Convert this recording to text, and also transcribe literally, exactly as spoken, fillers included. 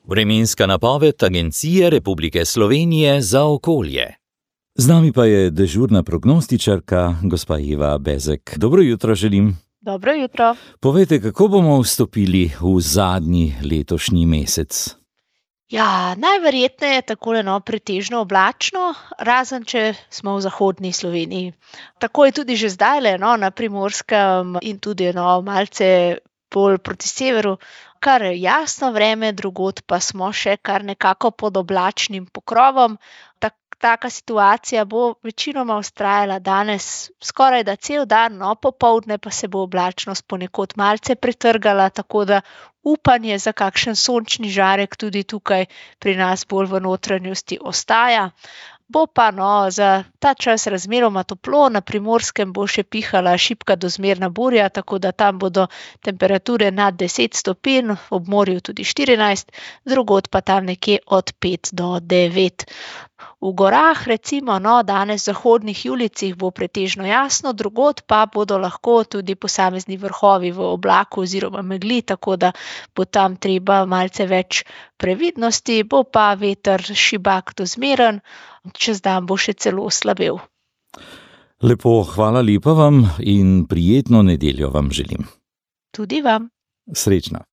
Vremenska napoved Agencije Republike Slovenije za okolje. Z nami pa je dežurna prognostičarka, gospa Eva Bezek. Dobro jutro želim. Dobro jutro. Povejte, kako bomo vstopili v zadnji letošnji mesec? Ja, najverjetneje takole no, pretežno oblačno, razen če smo v zahodni Sloveniji. Tako je tudi že zdajle, no, na Primorskem in tudi no, malce bolj proti severu, kar jasno vreme, drugod pa smo še kar nekako pod oblačnim pokrovom. Tak, taka situacija bo večinoma vztrajala danes skoraj da cel dan, no, popoldne pa se bo oblačnost ponekod malce pretrgala, tako da upanje za kakšen sončni žarek tudi tukaj pri nas bolj v notranjosti ostaja. Bo pa no, za ta čas razmeroma toplo, na Primorskem bo še pihala šibka do zmerna burja, tako da tam bodo temperature nad deset stopinj, ob morju tudi štirinajst, drugod pa tam nekje od pet do devet. V gorah recimo no, danes v zahodnih julicih bo pretežno jasno, drugod pa bodo lahko tudi posamezni vrhovi v oblaku oziroma megli, tako da bo tam treba malce več previdnosti, bo pa veter šibak do zmeren, čez dan bo še celo slabel. Lepo, hvala lepa vam in prijetno nedeljo vam želim. Tudi vam. Srečno.